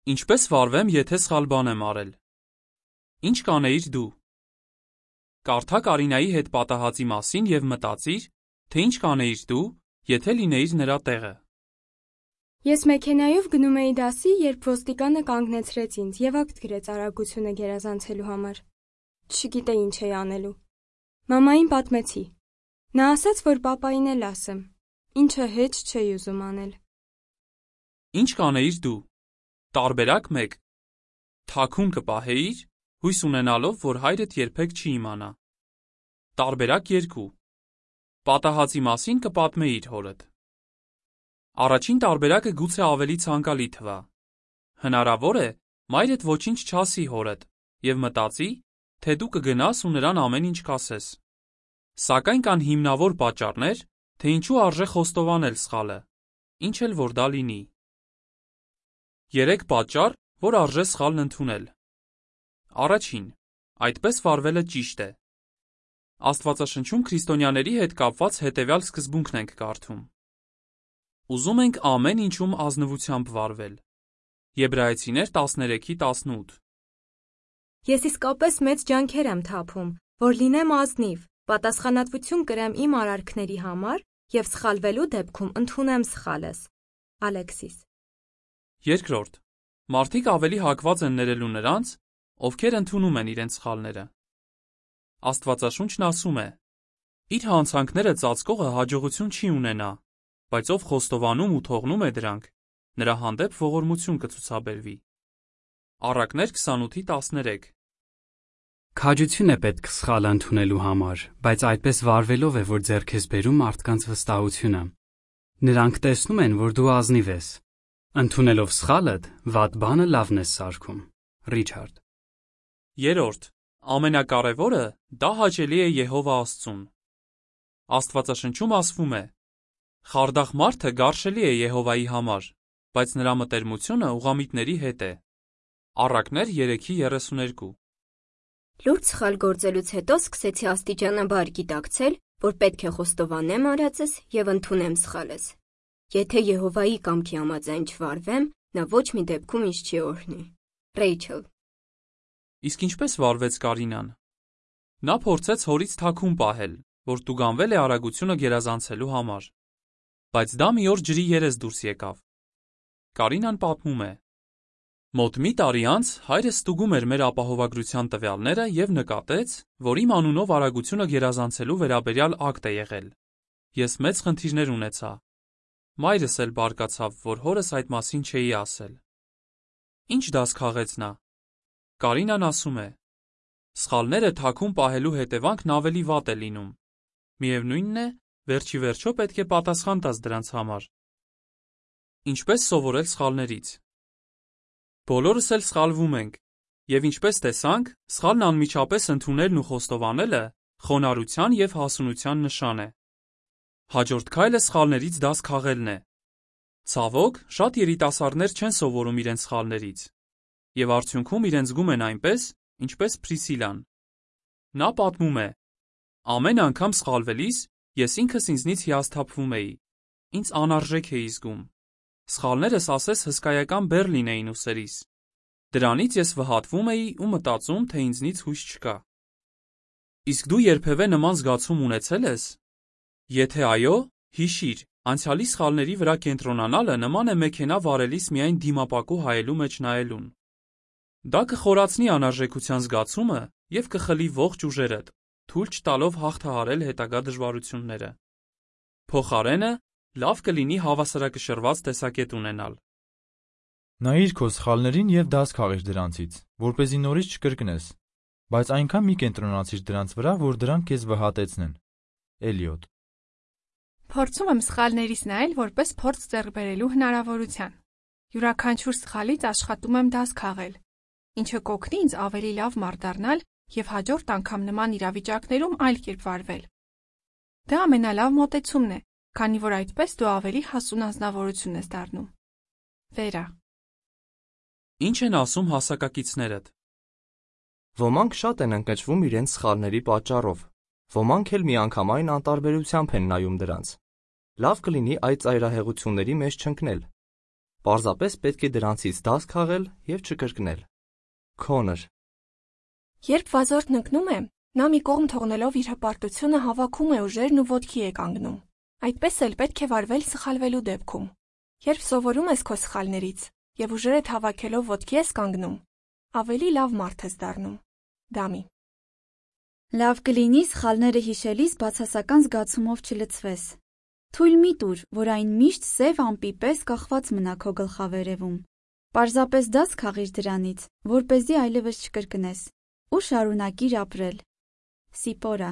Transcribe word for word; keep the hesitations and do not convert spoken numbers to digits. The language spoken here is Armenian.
Ինչպես վարվեմ, եթե սխալ բան եմ արել։ Ինչ կանեիր դու։ Կարդա Կարինայի հետ պատահածի մասին և մտածիր, թե ինչ կանեիր դու, եթե լինեիր նրա տեղը։ Ես մեքենայով գնում էի դասի, երբ ոստիկանը կանգնեցրեց ինձ և ակտ գրեց արագությունը գերազանցելու համար։ Չգիտեի ինչ էի անելու։ Մամային պատմեցի։ Նա ասաց, որ պապային էլ ասեմ, ինչը հեչ չէի ուզում անել։ Ինչ կանեիր դու։ Տարբերակ մեկ. թաքուն կպահեիր, հույս ունենալով, որ հայրդ երբեք չի իմանա։ Տարբերակ երկու. պատահածի մասին կպատմեիր հորդ։ Առաջին տարբերակը գուցե ավելի ցանկալի թվա։ Հնարավոր է, մայրդ ոչինչ չասի հորդ և մտածի, թե դու կգնաս ու նրան ամեն ինչ կասես։ Սակայն կան հիմնավոր պատճառներ, թե ինչու արժե խոստովանել սխալը, ինչ էլ որ դա լինի։ Երեք պատճառ, որ արժե սխալն ընդունել։ Առաջին. այդպես վարվելը ճիշտ է։ Աստվածաշնչում քրիստոնյաների հետ կապված հետևյալ սկզբունքն ենք կարդում. Ուզում ենք ամեն ինչում ազնվությամբ վարվել։ Եբրայեցիներ տասներեքի տասնութ։ Ես իսկապես մեծ ջանքեր եմ թափում, որ լինեմ ազնիվ, պատասխանատվություն կրեմ իմ արարքների համար և սխալվելու դեպքում ընդունեմ սխալս։ Ալեքսիս։ Երկրորդ. մարդիկ ավելի հակված են ներելու նրանց, ովքեր ընդունում են իրենց սխալները։ Աստվածաշունչն ասում է. իր հանցանքները ծածկողը հաջողություն չի ունենա, բայց ով խոստովանում ու թողնում է դրանք, նրա հանդեպ ողորմություն կցուցաբերվի։ Առակներ քսանութի տասներեք։ Քաջություն է պետք սխալը ընդունելու համար, բայց այդպես վարվելով է, որ ձեռք ես բերում մարդկանց վստահությունը։ Նրանք տեսնում են, որ դու ազնիվ ես։ Ընդունելով սխալդ, վատ բանը լավն ես սարքում։ Ռիչարդ։ Երորդ. ամենակարևորը դա հաճելի է Եհովա Աստծուն։ Աստվածաշնչում ասվում է. խարդախ մարդը գարշելի է Եհովայի համար, բայց նրա մտերմությունը ուղղամիտների հետ է։ Առակներ երեքի երեսուներկու։ Լուրջ սխալ գործելուց հետո սկսեցի աստիճանաբար գիտակցել, որ պետք է խոստովանեմ արածս և ընդունեմ սխալս։ Եթե Եհովայի կամքի համաձայն չվարվեմ, նա ոչ մի դեպքում ինձ չի օրհնի։ Ռեյչել։ Իսկ ինչպես վարվեց Կարինան։ Նա փորձեց հորից թաքուն պահել, որ տուգանվել է արագությունը գերազանցելու համար։ Բայց դա մի օր ջրի երես դուրս եկավ։ Կարինան պատմում է. Մոտ մի տարի անց հայրս ստուգում էր մեր ապահովագրության տվյալները և նկատեց, որ իմ անունով արագությունը գերազանցելու վերաբերյալ ակտ է եղել։ Ես մեծ խնդիրներ ունեցա։ Մայրս էլ բարկացավ, որ հորս այդ մասին չէի ասել։ Ինչ դաս քաղեց նա։ Կարինան ասում է. սխալները թաքուն պահելու հետևանքն ավելի վատ է լինում։ Միևնույնն է, վերջի վերջո պետք է պատասխան տաս դրանց համար։ Ինչպես սովորել սխալներից։ Բոլորս էլ սխալվում ենք, և ինչպես տեսանք, սխալն անմիջապես ընդունելն ու խոստովանելը խոնարհության և հասունության նշան է։ Հաջորդ քայլը սխալներից դաս քաղելն է։ Ցավոք, շատ երիտասարդներ չեն սովորում իրենց սխալներից, և արդյունքում իրենց զգում են այնպես, ինչպես Փրիսիլան։ Նա պատմում է. ամեն անգամ սխալվելիս ես ինքս ինձնից հիասթափվում էի, ինձ անարժեք էի զգում։ Սխալներս ասես հսկայական բեռ լինեին ուսերիս։ Դրանից ես վհատվում էի ու մտածում, թե ինձնից հույս չկա։ Իսկ դու երբևէ նման զգացում ունեցե՞լ ես։ Եթե այո, հիշիր, անցյալի սխալների վրա կենտրոնանալը նման է մեքենա վարելիս միայն դիմապակու հայելու մեջ նայելուն։ Դա կխորացնի անարժեքության զգացումը և կխլի ողջ ուժերդ, թույլ չտալով հաղթահարել հետագա դժվարությունները։ Փոխարենը, լավ կլինի հավասարակշռված տեսակետ ունենալ։ Նայիր քո սխալներին և դաս քաղիր դրանցից, որպեսզի նորից չկրկնես, բայց այնքան մի կենտրոնացիր դրանց վրա, որ դրանք քեզ վհատեցնեն։ Էլիոտ։ Փորձում եմ սխալներից նայել որպես փորձ ձեռք բերելու հնարավորության։ Յուրաքանչյուր սխալից աշխատում եմ դաս քաղել, ինչը կօգնի ինձ ավելի լավ մարդ դառնալ և հաջորդ անգամ նման իրավիճակներում այլ կերպ վարվել։ Դա ամենալավ մոտեցումն է, քանի որ այդպես դու ավելի հասուն անձնավորություն ես դառնում։ Վերա։ Ինչ են ասում հասակակիցներդ։ Ոմանք շատ են ընկճվում իրենց սխալների պատճառով, ոմանք էլ միանգամայն անտարբերությամբ են նայում դրանց։ Լավ կլինի այդ ծայրահեղությունների մեջ չընկնել։ Պարզապես պետք է դրանցից դաս քաղել և չկրկնել։ Քոնր։ Երբ վազորդն ընկնում է, նա մի կողմ թողնելով իր հպարտությունը հավաքում է ուժերն ու ոտքի է կանգնում։ Այդպես էլ պետք է վարվել սխալվելու դեպքում։ Երբ սովորում ես քո սխալներից և ուժերդ հավաքելով ոտքի ես կանգնում, ավելի լավ մարդ ես դառնում։ Դամի։ Լավ կլինի սխալները հիշելիս բացասական զգացումով չլցվես։ Թույլ մի տուր, որ այն միշտ սև ամպի պես կախված մնա քո գլխավերևում։ Պարզապես դաս քաղիր դրանից, որպեսզի այլևս չկրկնես, ու շարունակիր ապրել։ Սիպորա։